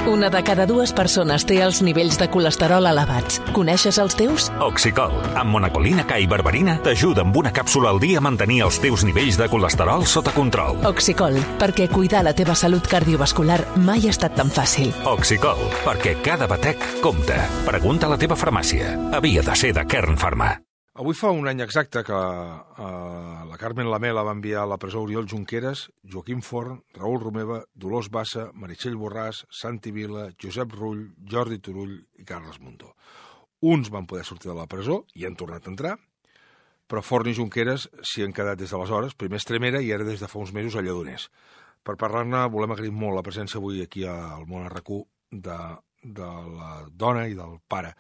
Una de cada dues persones té els nivells de colesterol elevats. Coneixes els teus? Oxicol, amb monacolina K i berberina, t'ajuda amb una càpsula al dia a mantenir els teus nivells de colesterol sota control. Oxicol, perquè cuidar la teva salut cardiovascular mai ha estat tan fàcil. Oxicol, perquè cada batec compta. Pregunta a la teva farmàcia. Havia de ser de Kern Pharma. Avui fa un any exacte que la Carmen Lamela va enviar a la presó Oriol Junqueras, Joaquim Forn, Raül Romeva, Dolors Bassa, Meritxell Borràs, Santi Vila, Josep Rull, Jordi Turull i Carles Mundó. Uns van poder sortir de la presó i han tornat a entrar, però Forn i Junqueras s'hi han quedat des d'aleshores, primer a Estremera i ara des de fa uns mesos a Lledoners. Per parlar-ne volem agrair molt la presència avui aquí al Món RQ de la dona i del pare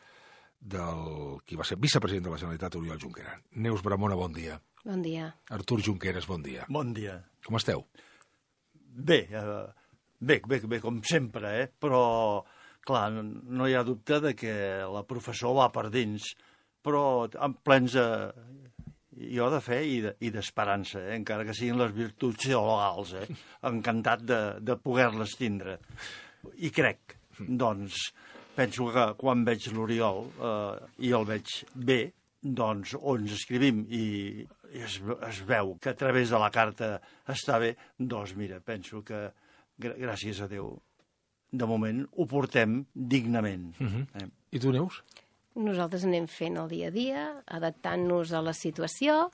del qui va ser vicepresident de la Generalitat, Oriol Junqueras. Neus Bramona, bon dia. Bon dia. Artur Junqueras, bon dia. Bon dia. Com esteu? Bé, com sempre, però, clar, no hi ha dubte de que la professor va per dins, però plens jo de fe i d'esperança, encara que siguin les virtuts teologals, encantat de poder-les tindre. I crec, doncs, penso que quan veig l'Oriol i el veig bé, doncs on ens escrivim i es veu que a través de la carta està bé, doncs mira, penso que gràcies a Déu, de moment ho portem dignament. I tu, Neus? Nosaltres anem fent el dia a dia, adaptant-nos a la situació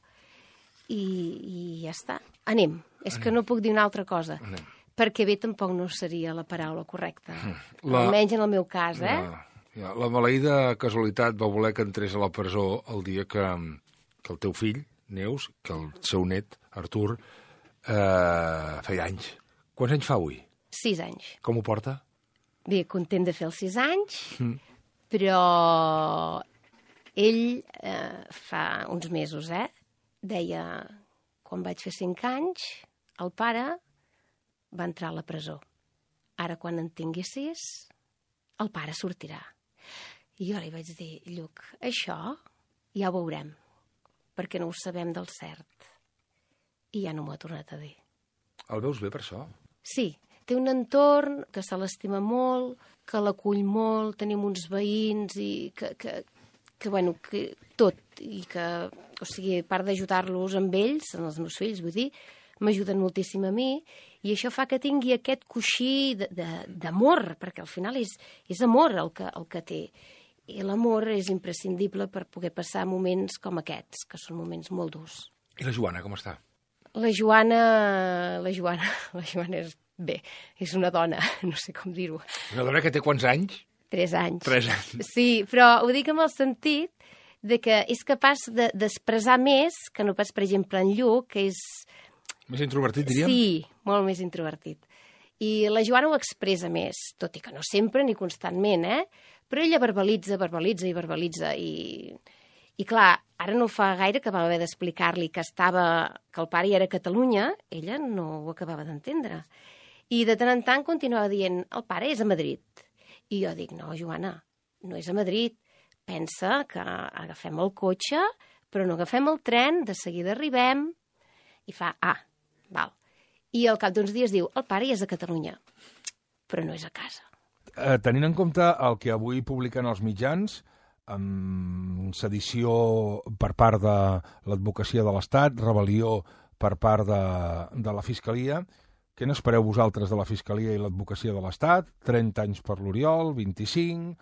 i ja està. Anem. És que no puc dir una altra cosa. Anem. Perquè bé tampoc no seria la paraula correcta. Almenys en el meu cas, La maleïda casualitat va voler que entrés a la presó el dia que el teu fill, Neus, que el seu net, Artur, feia anys. Quants anys fa avui? 6 anys. Com ho porta? Bé, content de fer els 6 anys, però ell fa uns mesos, deia, quan vaig fer 5 anys, el pare va entrar a la presó. Ara, quan en tingui 6, el pare sortirà. I jo li vaig dir, Lluc, això ja ho veurem, perquè no ho sabem del cert. I ja no m'ho ha tornat a dir. El veus bé per això? Sí, té un entorn que se l'estima molt, que l'acull molt, tenim uns veïns i que tot, i que, o sigui, a part d'ajudar-los amb ells, amb els meus fills, vull dir, m'ajuden moltíssim a mi, i això fa que tingui aquest coixí d'amor, perquè al final és amor el que té. I l'amor és imprescindible per poder passar moments com aquests, que són moments molt durs. I la Joana, com està? La Joana és bé, és una dona, no sé com dir-ho. Una dona que té quants anys? 3 anys. 3 anys. Sí, però ho dic amb el sentit de que és capaç d'expressar més que no pas, per exemple, en Lluc, que és... Més introvertit, diríem? Sí, molt més introvertit. I la Joana ho expressa més, tot i que no sempre ni constantment, però ella verbalitza. I clar, ara no fa gaire que va haver d'explicar-li que el pare ja era a Catalunya, ella no ho acabava d'entendre. I de tant en tant continuava dient, el pare és a Madrid. I jo dic, no, Joana, no és a Madrid. Pensa que agafem el cotxe, però no agafem el tren, de seguida arribem. I fa, val. I al cap d'uns dies diu, el pare ja és a Catalunya, però no és a casa. Tenint en compte el que avui publiquen els mitjans, amb sedició per part de l'advocacia de l'Estat, rebel·lió per part de la Fiscalia, què n'espereu vosaltres de la Fiscalia i l'advocacia de l'Estat? 30 anys per l'Oriol, 25,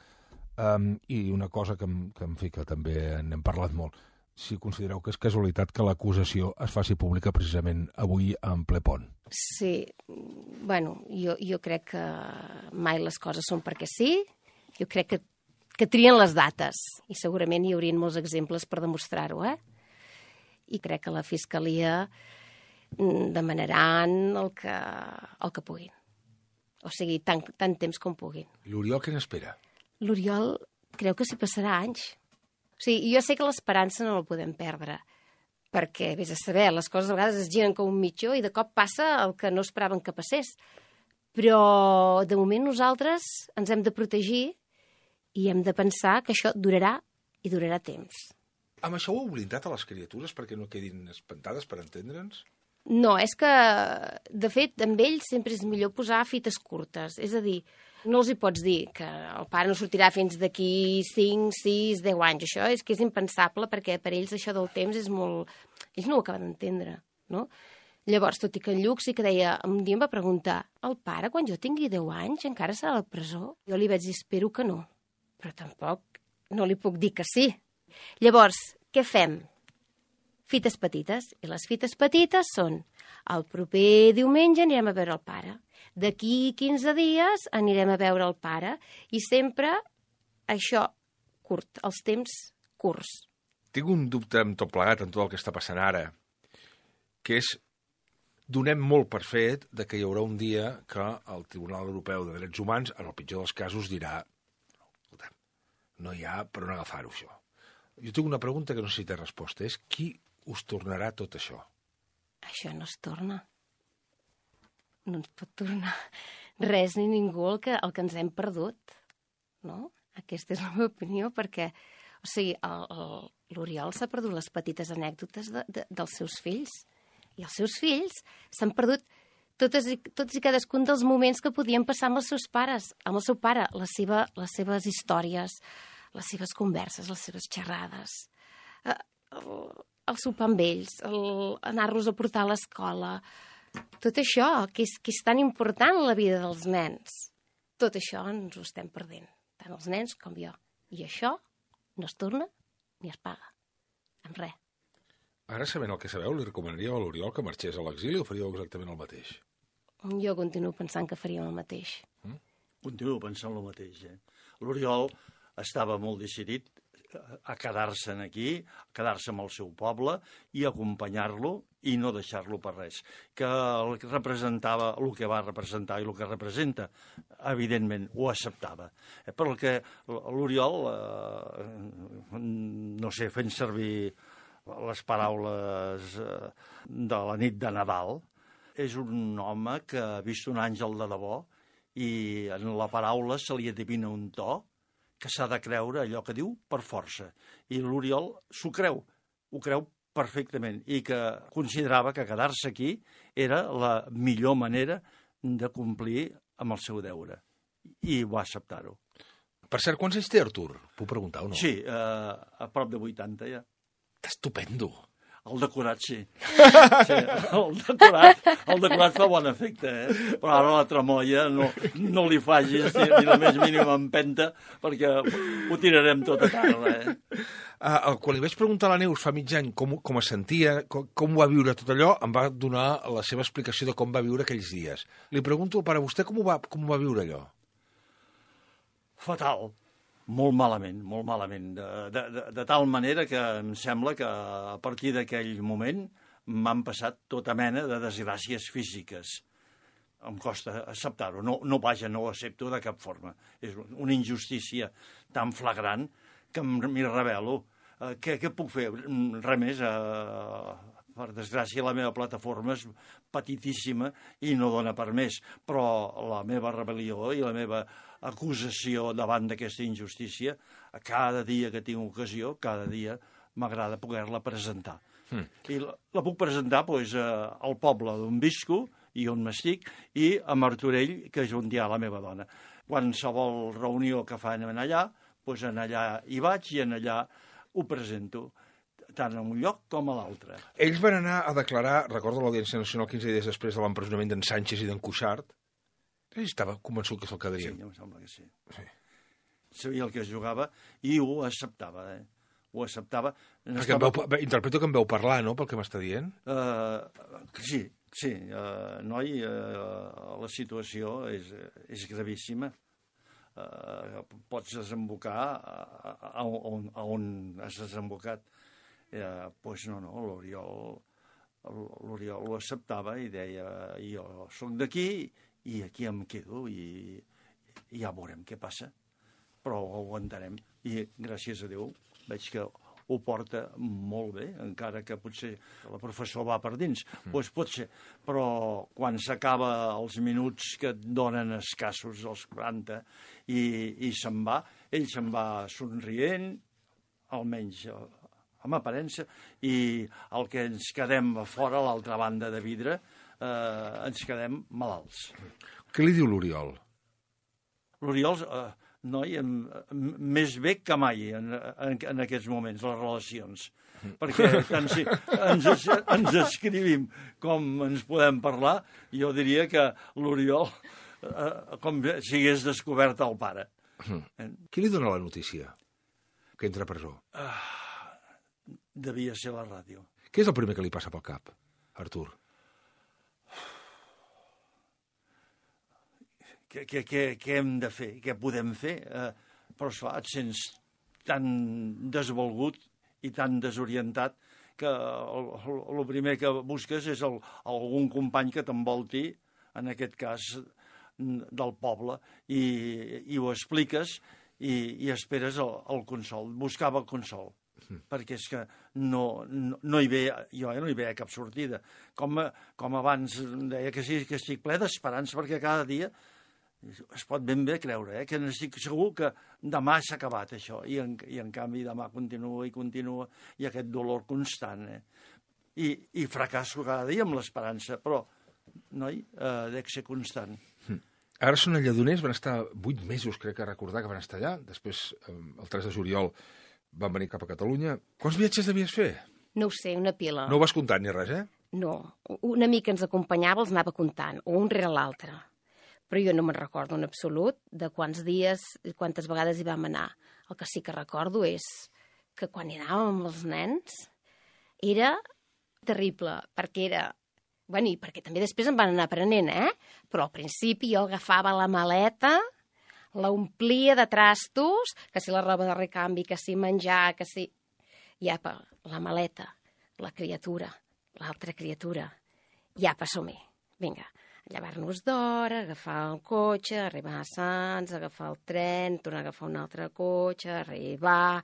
i una cosa que també n'hem parlat molt. Si considereu que és casualitat que l'acusació es faci pública precisament avui en ple pont. Sí, bueno, jo crec que mai les coses són perquè sí. Jo crec que trien les dates i segurament hi haurien molts exemples per demostrar-ho, I crec que la Fiscalia demanaran el que puguin. O sigui, tant temps com puguin. L'Oriol què n'espera? L'Oriol creu que s'hi passarà anys. O sigui, jo sé que l'esperança no la podem perdre, perquè, vés a saber, les coses a vegades es giren com un mitjó i de cop passa el que no esperaven que passés. Però, de moment, nosaltres ens hem de protegir i hem de pensar que això durarà i durarà temps. Amb això ho heu blindat a les criatures perquè no quedin espantades, per entendre'ns? No, és que, de fet, amb ells sempre és millor posar fites curtes. És a dir, No els hi pots dir que el pare no sortirà fins d'aquí 5, 6, 10 anys. Això és que és impensable, perquè per ells això del temps és molt... Ells no ho acaben d'entendre, no? Llavors, tot i que en Lluc sí que deia... Un dia em va preguntar, el pare, quan jo tingui 10 anys, encara serà a la presó? Jo li vaig dir, espero que no. Però tampoc no li puc dir que sí. Llavors, què fem? Fites petites. I les fites petites són el proper diumenge anirem a veure el pare. D'aquí 15 dies anirem a veure el pare. I sempre això curt, els temps curts. Tinc un dubte amb tot plegat, en tot el que està passant ara, que és, donem molt per fet de que hi haurà un dia que el Tribunal Europeu de Drets Humans, en el pitjor dels casos, dirà no hi ha per on agafar-ho, això. Jo tinc una pregunta que no sé si té resposta, és qui us tornarà tot això? Això no es torna. No ens pot tornar res ni ningú el que ens hem perdut, no? Aquesta és la meva opinió, perquè, o sigui, l'Oriol s'ha perdut les petites anècdotes dels seus fills, i els seus fills s'han perdut tots i cadascun dels moments que podien passar amb els seus pares, amb el seu pare, les seves històries, les seves converses, les seves xerrades, el sopar amb ells, anar-los a portar a l'escola, tot això, que és tan important en la vida dels nens. Tot això ens ho estem perdent, tant els nens com jo. I això no es torna ni es paga, amb res. Ara, sabent el que sabeu, li recomanaríeu a l'Oriol que marxés a l'exili o faríeu exactament el mateix? Jo continuo pensant que faríem el mateix. Continuo pensant el mateix. L'Oriol estava molt decidit a quedar-se aquí, a quedar-se amb el seu poble i acompanyar-lo i no deixar-lo per res. Que el que representava, el que va representar i el que representa, evidentment ho acceptava. Però el que l'Oriol, no sé, fent servir les paraules de la nit de Nadal, és un home que ha vist un àngel de debò i en la paraula se li adivina un to que s'ha de creure allò que diu per força. I l'Oriol s'ho creu, ho creu perfectament, i que considerava que quedar-se aquí era la millor manera de complir amb el seu deure. I va acceptar-ho. Per cert, quants anys té Artur? Puc preguntar o no? Sí, a prop de 80 ja. Estupendo. El decorat, sí. Sí, el decorat fa bon efecte, Però ara la tramoia no li facis ni la més mínima empenta, perquè ho tirarem tot a terra, Quan li vaig preguntar a la Neus fa mig any com es sentia, com va viure tot allò, em va donar la seva explicació de com va viure aquells dies. Li pregunto, per a vostè, com ho va viure allò? Fatal. Molt malament, molt malament. De tal manera que em sembla que a partir d'aquell moment m'han passat tota mena de desgràcies físiques. Em costa acceptar-ho. No ho accepto de cap forma. És una injustícia tan flagrant que m'hi rebel·lo. Què puc fer? Res més. Per desgràcia, la meva plataforma és petitíssima i no dona per més. Però la meva rebel·lió i la meva acusació davant d'aquesta injustícia, cada dia que tinc ocasió, cada dia m'agrada poder-la presentar. I la puc presentar al poble d'on visco i on m'estic, i a Martorell, que és on hi ha la meva dona. Qualsevol reunió que fan allà, en allà hi vaig i en allà ho presento, tant en un lloc com a l'altre. Ells van anar a declarar, recordo l'Audiència Nacional 15 dies després de l'empresonament d'en Sánchez i d'en Cuixart. Estava convençut que se'l quedarien. Sí, em sembla que sí. Sabia el que es jugava i ho acceptava, Ho acceptava. Interpreto que em veu parlar, no?, pel que m'està dient? Sí, noi, la situació és gravíssima. Pots desembocar a on has desembocat. Doncs no, l'Oriol ho acceptava i deia, jo soc d'aquí i aquí em quedo i ja veurem què passa. Però ho aguantarem. I gràcies a Déu veig que ho porta molt bé, encara que potser la professor va per dins. Doncs pot ser. Però quan s'acaba els minuts que et donen escassos, els 40, i se'n va, ell se'n va somrient, almenys amb aparença, i el que ens quedem a fora, a l'altra banda de vidre, ens quedem malalts. Què li diu l'Oriol? l'Oriol, noi, més bé que mai en aquests moments, les relacions. Perquè tant si ens escrivim com ens podem parlar, jo diria que l'Oriol com si hagués descobert el pare. Qui li dona la notícia que entra a presó? Devia ser la ràdio. Què és el primer que li passa pel cap, Artur? Què hem de fer? Què podem fer? Però, esclar, et sents tan desvalgut i tan desorientat que el primer que busques és algun company que t'envolti, en aquest cas del poble, i ho expliques i esperes el consol. Buscava el consol, perquè és que no hi veia, jo no hi veia cap sortida. Com abans deia que sí, que estic ple d'esperança, perquè cada dia es pot ben bé creure, que n'estic segur que demà s'ha acabat això, i en canvi demà continua, i aquest dolor constant. I fracasso cada dia amb l'esperança, però, noi, dec ser constant. Ara són a Lledoners, van estar 8 mesos, crec que recordar que van estar allà, després, el 3 de juliol, van venir cap a Catalunya. Quants viatges devies fer? No ho sé, una pila. No ho vas comptant ni res, No, un amic que ens acompanyava els anava comptant, o un rere l'altre. Però jo no me'n recordo en absolut de quants dies i quantes vegades hi vam anar. El que sí que recordo és que quan hi anàvem amb els nens era terrible, perquè era... Bueno, i perquè també després em van anar aprenent, Però al principi jo agafava la maleta, la omplia de trastos, que si la roba de recanvi, que si menjar, que si... I apa, la maleta, la criatura, l'altra criatura. I apa, som-hi. Vinga, llevar-nos d'hora, agafar el cotxe, arribar a Sants, agafar el tren, tornar a agafar un altre cotxe, arribar...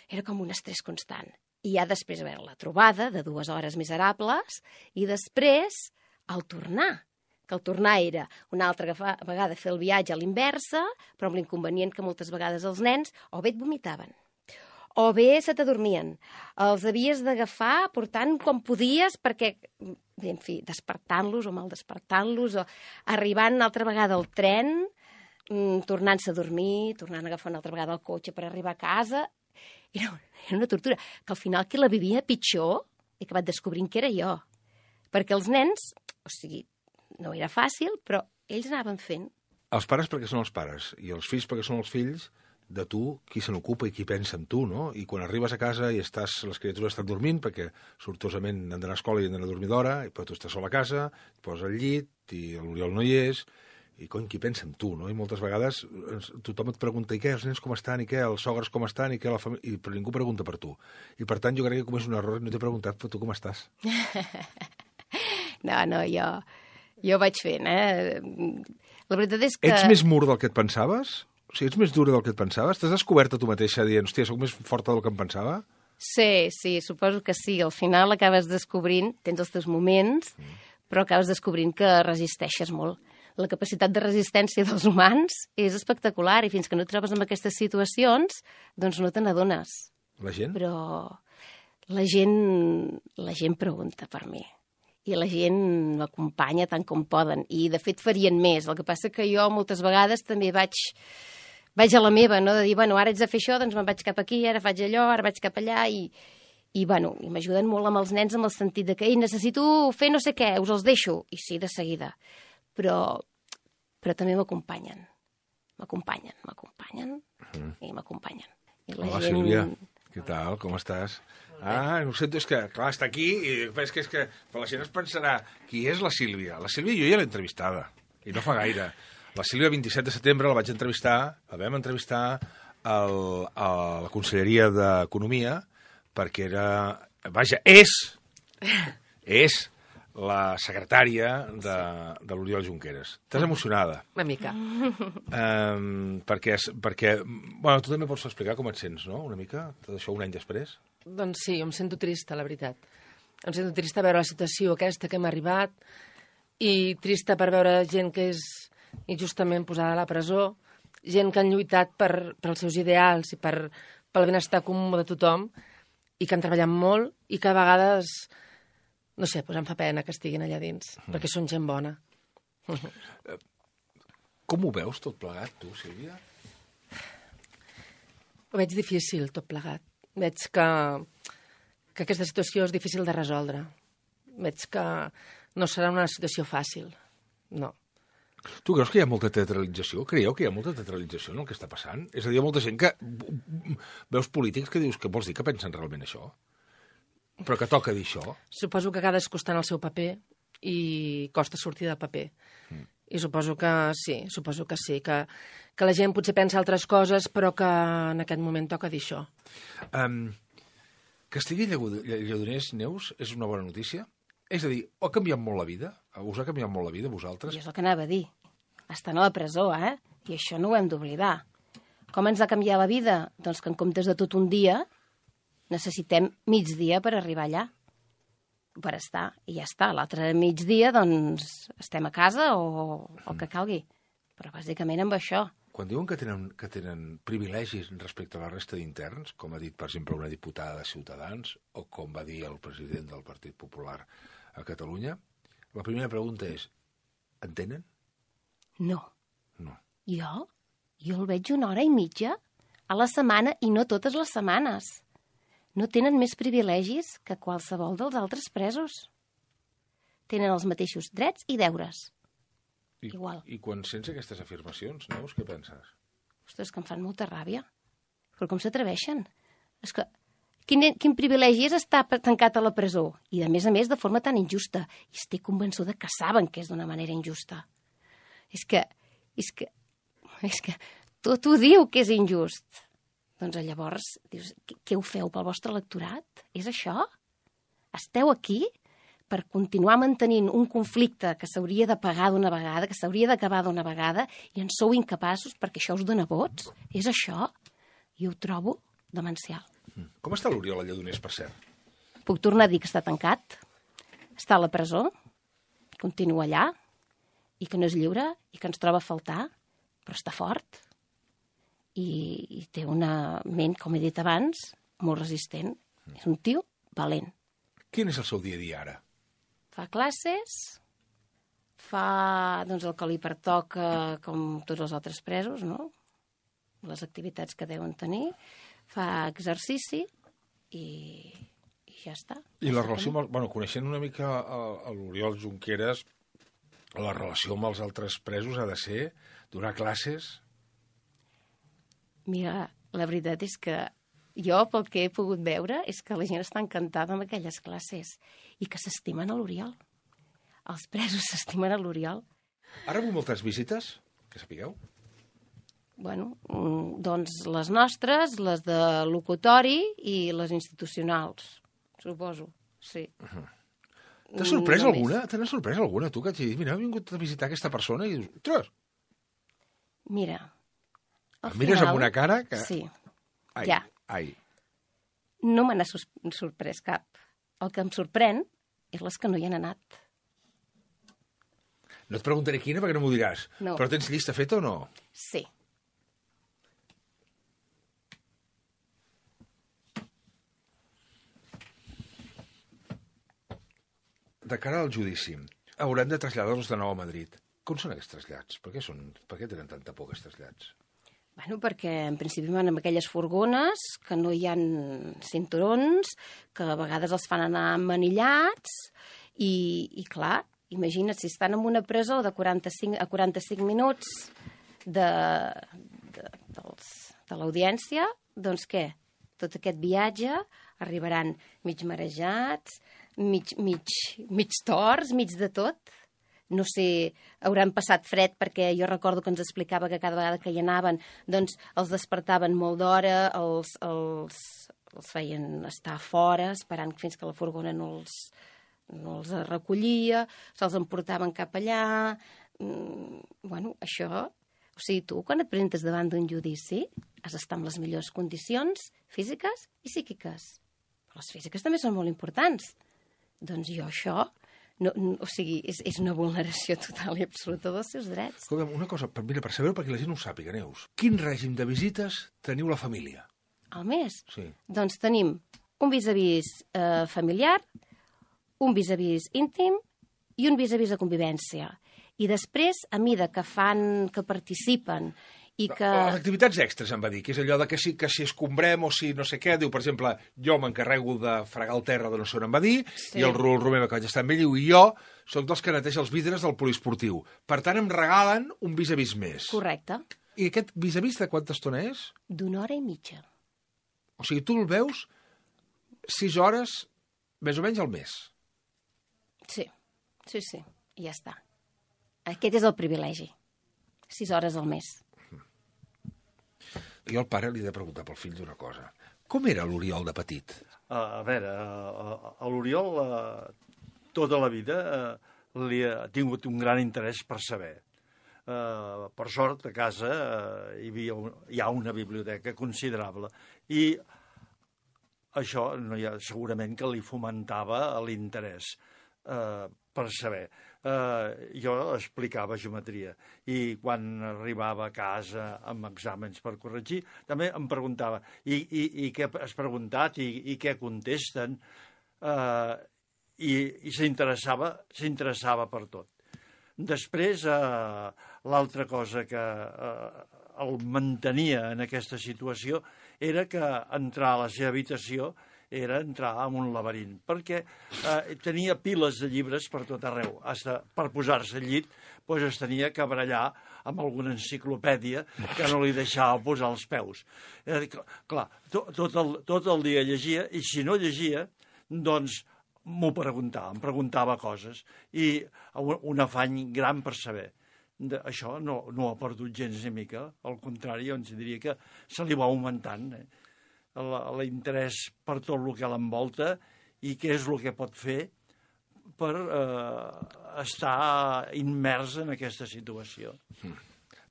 Era com un estrès constant. I ja després veure la trobada de 2 hores miserables i després el tornar, que el tornar era una altra vegada fer el viatge a l'inversa, però amb l'inconvenient que moltes vegades els nens o bé et vomitaven, o bé se t'adormien. Els havies d'agafar portant com podies perquè, en fi, despertant-los o mal despertant-los, o arribant una altra vegada al tren, tornant-se a dormir, tornant a agafar una altra vegada el cotxe per arribar a casa. Era una tortura, que al final qui la vivia pitjor he acabat descobrint que era jo. Perquè els nens, o sigui, no era fàcil, però ells anaven fent. Els pares perquè són els pares, i els fills perquè són els fills, de tu, qui se n'ocupa i qui pensa en tu, no? I quan arribes a casa i les criatures estan dormint, perquè sortosament han d'anar a escola i han d'anar a dormir d'hora, però tu estàs sol a casa, et poses al llit, i l'Oriol no hi és, i cony, qui pensa en tu, no? I moltes vegades tothom et pregunta, i què, els nens com estan, i què, els sogres com estan, i què, la família... Però ningú pregunta per tu. I per tant, jo crec que com és un error, no t'he preguntat, però tu com estàs? No, jo vaig fent, La veritat és que... Ets més mur del que et pensaves? O sigui, ets més dura del que et pensaves? T'has descobert a tu mateixa dient, hòstia, soc més forta del que em pensava? Sí, suposo que sí. Al final acabes descobrint, tens els teus moments, però acabes descobrint que resisteixes molt. La capacitat de resistència dels humans és espectacular i fins que no et trobes en aquestes situacions, doncs no te n'adones. La gent? Però la gent pregunta per mi i la gent m'acompanya tant com poden i de fet farien més. El que passa que jo moltes vegades també vaig a la meva, no? De dir, bueno, ara haig de fer això, doncs me'n vaig cap aquí, ara faig allò, ara vaig cap allà i m'ajuden molt amb els nens en el sentit de que necessito fer no sé què, us els deixo. I sí, de seguida. Però també m'acompanyen. M'acompanyen i m'acompanyen. Hola, Sílvia. Què tal? Com estàs? Ho sento, és que, clar, està aquí i és que la gent es pensarà qui és la Sílvia? La Sílvia jo ja l'he entrevistada, i no fa gaire. La Sílvia, el 27 de setembre, la vam entrevistar a la Conselleria d'Economia perquè és la secretària de l'Oriol Junqueras. Estàs emocionada? Una mica. Perquè, bueno, tu també pots explicar com et sents, no?, una mica, tot això un any després? Doncs sí, em sento trista, la veritat. Em sento trista veure la situació aquesta que hem arribat i trista per veure gent que és injustament posada a la presó, gent que han lluitat pels seus ideals i pel benestar comú de tothom i que han treballat molt i que a vegades... No sé, doncs em fa pena que estiguin allà dins, perquè són gent bona. Com ho veus tot plegat, tu, Sílvia? Ho veig difícil, tot plegat. Veig que aquesta situació és difícil de resoldre. Veig que no serà una situació fàcil. No. Tu creus que hi ha molta teatralització? Creieu que hi ha molta teatralització en el que està passant? És a dir, hi ha molta gent que... Veus polítics que dius que vols dir que pensen realment això? Però que toca dir això? Suposo que cadascú està en el seu paper i costa sortir del paper. I suposo que sí, que la gent potser pensa altres coses, però que en aquest moment toca dir això. Que estigui Lledoners, Neus, és una bona notícia? És a dir, ha canviat molt la vida? Us ha canviat molt la vida, vosaltres? I és el que anava a dir. Estan a la presó, I això no ho hem d'oblidar. Com ens ha canviat la vida? Doncs que en comptes de tot un dia, necessitem migdia per arribar allà. Per estar, i ja està. L'altre migdia, doncs, estem a casa o el que calgui. Però bàsicament amb això. Quan diuen que tenen privilegis respecte a la resta d'interns, com ha dit, per exemple, una diputada de Ciutadans, o com va dir el president del Partit Popular a Catalunya, la primera pregunta és, entenen? No. No. Jo el veig 1 hora i mitja a la setmana i no totes les setmanes. No tenen més privilegis que qualsevol dels altres presos. Tenen els mateixos drets i deures. Igual. I quan sents aquestes afirmacions, Neus, què penses? Ostres, que em fan molta ràbia. Però com s'atreveixen? És que quin privilegi és estar tancat a la presó? I, a més, de forma tan injusta. I estic convençuda que saben que és d'una manera injusta. És que tot ho diu que és injust. Doncs llavors, dius, què ho feu pel vostre electorat? És això? Esteu aquí per continuar mantenint un conflicte que s'hauria de pagar d'una vegada, que s'hauria d'acabar d'una vegada, i en sou incapaços perquè això us dona vots? És això? I ho trobo demencial. Com està l'Oriol Lledoners, per cert? Puc tornar a dir que està tancat, està a la presó, continua allà, i que no és lliure, i que ens troba a faltar, però està fort, i té una ment, com he dit abans, molt resistent. És un tio valent. Quin és el seu dia a dia ara? Fa classes, fa doncs, el que li pertoca com tots els altres presos, no? Les activitats que deuen tenir, fa exercici i ja està. I la relació amb coneixent una mica l'Oriol Junqueras, la relació amb els altres presos ha de ser donar classes? Mira, la veritat és que jo, pel que he pogut veure, és que la gent està encantada amb aquelles classes i que s'estimen a l'Oriol. Els presos s'estimen a l'Oriol. Ha rebut moltes visites, que sapigueu? Bueno, doncs les nostres, les de locutori i les institucionals, suposo, sí. T'ha sorprès alguna? Te n'ha sorprès alguna, tu, que hagi dit, mira, he vingut a visitar aquesta persona i dius, ostres! Mira, al final... Mires amb una cara que... Sí, ai, ja. Ai. No me n'ha sorprès cap. El que em sorprèn és les que no hi han anat. No et preguntaré quina perquè no m'ho diràs. No. Però tens llista feta o no? Sí. De cara al judici, haurem de traslladar-los de nou a Madrid. Com són aquests trasllats? Per què tenen tanta por, aquests trasllats? Bueno, perquè en principi van amb aquelles furgones, que no hi ha cinturons, que a vegades els fan anar manillats, i clar, imagina't, si estan en una presó de 45 minuts de l'audiència, doncs què? Tot aquest viatge arribaran mig marejats, mig torts, mig de tot. No sé, hauran passat fred, perquè jo recordo que ens explicava que cada vegada que hi anaven doncs els despertaven molt d'hora, els feien estar fora, esperant fins que la furgona no els recollia, se'ls emportaven cap allà... Bueno, això... O sigui, tu, quan et presentes davant d'un judici, has d'estar en les millors condicions físiques i psíquiques. Però les físiques també són molt importants. Doncs jo això... No, o sigui, és una vulneració total i absoluta dels seus drets. Escolta'm, una cosa, mira, per saber-ho perquè la gent no ho sàpiga, Neus. Quin règim de visites teniu la família? Al mes? Sí. Doncs tenim un vis-a-vis familiar, un vis-a-vis íntim i un vis-a-vis de convivència. I després, a mida que fan, que participen i que... Les activitats extres, em va dir, que és allò de que si escombrem o si no sé què, diu, per exemple, jo m'encarrego de fregar el terra de no sé on em va dir, i el Raül Romeva, que vaig estar amb ell, diu, i jo soc dels que neteja els vidres del poliesportiu. Per tant, em regalen un vis-a-vis més. Correcte. I aquest vis-a-vis de quanta estona és? d'1 hora i mitja. O sigui, tu el veus 6 hores, més o menys al mes. Sí, i ja està. Aquest és el privilegi. 6 hores al mes. Jo al pare li he de preguntar pel fill d'una cosa. Com era l'Oriol de petit? A veure, a l'Oriol tota la vida li ha tingut un gran interès per saber. Per sort, a casa hi ha una biblioteca considerable i això segurament que li fomentava l'interès per saber. Jo explicava geometria i quan arribava a casa amb exàmens per corregir també em preguntava i què has preguntat i què contesten i s'interessava per tot. Després, l'altra cosa que el mantenia en aquesta situació era que entrar a la seva habitació era entrar en un laberint, perquè tenia piles de llibres per tot arreu. Per posar-se al llit es tenia que barallar amb alguna enciclopèdia que no li deixava posar els peus. Clar, tot el dia llegia, i si no llegia, doncs m'ho preguntava, em preguntava coses, i un afany gran per saber. Això no ha perdut gens ni mica, al contrari, jo ens diria que se li va augmentant, l'interès per tot el que l'envolta i què és el que pot fer per estar immers en aquesta situació.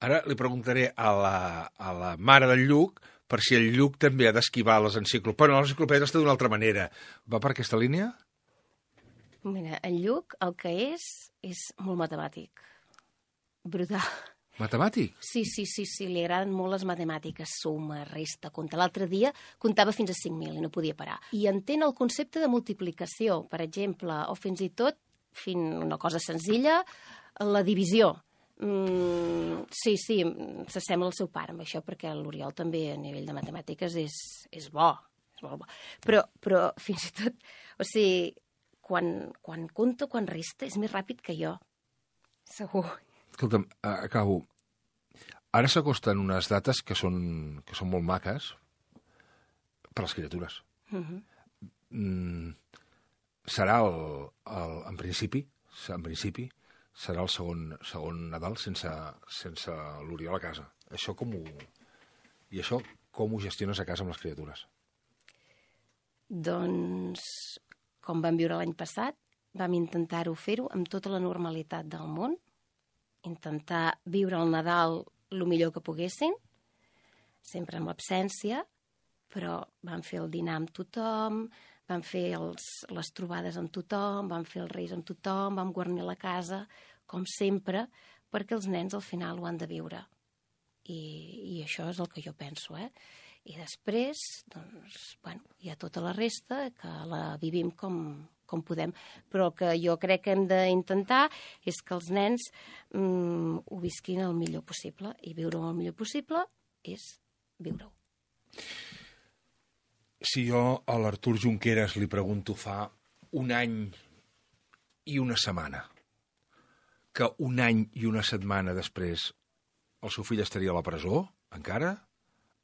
Ara li preguntaré a la mare del Lluc per si el Lluc també ha d'esquivar les enciclopèdies. Però les enciclopèdies està d'una altra manera. Va per aquesta línia? Mira, el Lluc el que és molt matemàtic. Brutal. Matemàtic? Sí, li agraden molt les matemàtiques, suma, resta, compta. L'altre dia comptava fins a 5.000 i no podia parar. I entén el concepte de multiplicació, per exemple, o fins i tot, una cosa senzilla, la divisió. Sí, s'assembla al seu pare amb això, perquè l'Oriol també a nivell de matemàtiques és bo, és molt bo. Però fins i tot, o sigui, quan compta, quan resta, és més ràpid que jo, segur. Escolta'm, acabo. Ara s'acosten unes dates que són molt maques per a les criatures. Serà en principi, serà el segon Nadal sense l'Oriol a casa. Això com ho gestiones a casa amb les criatures? Doncs, com vam viure l'any passat, vam intentar-ho fer-ho amb tota la normalitat del món, intentar viure el Nadal el millor que poguessin, sempre amb l'absència, però vam fer el dinar amb tothom, vam fer les trobades amb tothom, vam fer els reis amb tothom, vam guarnir la casa, com sempre, perquè els nens al final ho han de viure. I això és el que jo penso, I després, doncs, hi ha tota la resta, que la vivim com podem. Però el que jo crec que hem d'intentar és que els nens ho visquin el millor possible. I viure-ho el millor possible és viure-ho. Si jo a l'Artur Junqueras li pregunto fa un any i una setmana que un any i una setmana després el seu fill estaria a la presó, encara,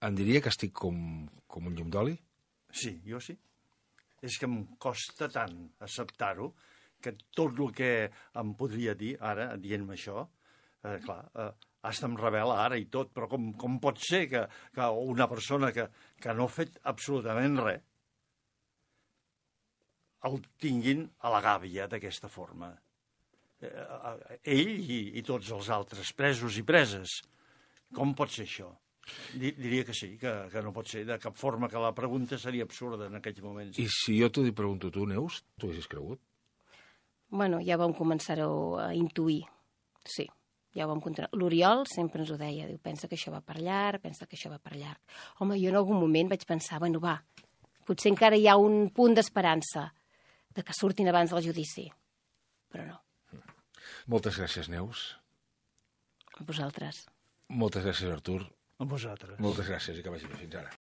em diria que estic com un llum d'oli? Sí, jo sí. És que em costa tant acceptar-ho que tot el que em podria dir ara, dient-me això, clar, hasta em revela ara i tot, però com pot ser que una persona que no ha fet absolutament res el tinguin a la gàbia d'aquesta forma? Ell i tots els altres presos i preses. Com pot ser això? Diria que sí, que no pot ser de cap forma, que la pregunta seria absurda en aquells moments. I si jo t'ho pregunto tu, Neus, t'ho haguessis cregut? Bueno, ja vam començar-ho a intuir, sí. Ja ho vam continuar. L'Oriol sempre ens ho deia, diu, pensa que això va per llarg, pensa que això va per llarg. Home, jo en algun moment vaig pensar, bueno, va, potser encara hi ha un punt d'esperança de que surtin abans del judici, però no. Moltes gràcies, Neus. A vosaltres. Moltes gràcies, Artur. A vosaltres. Moltes gràcies i que vagi bé. Fins ara.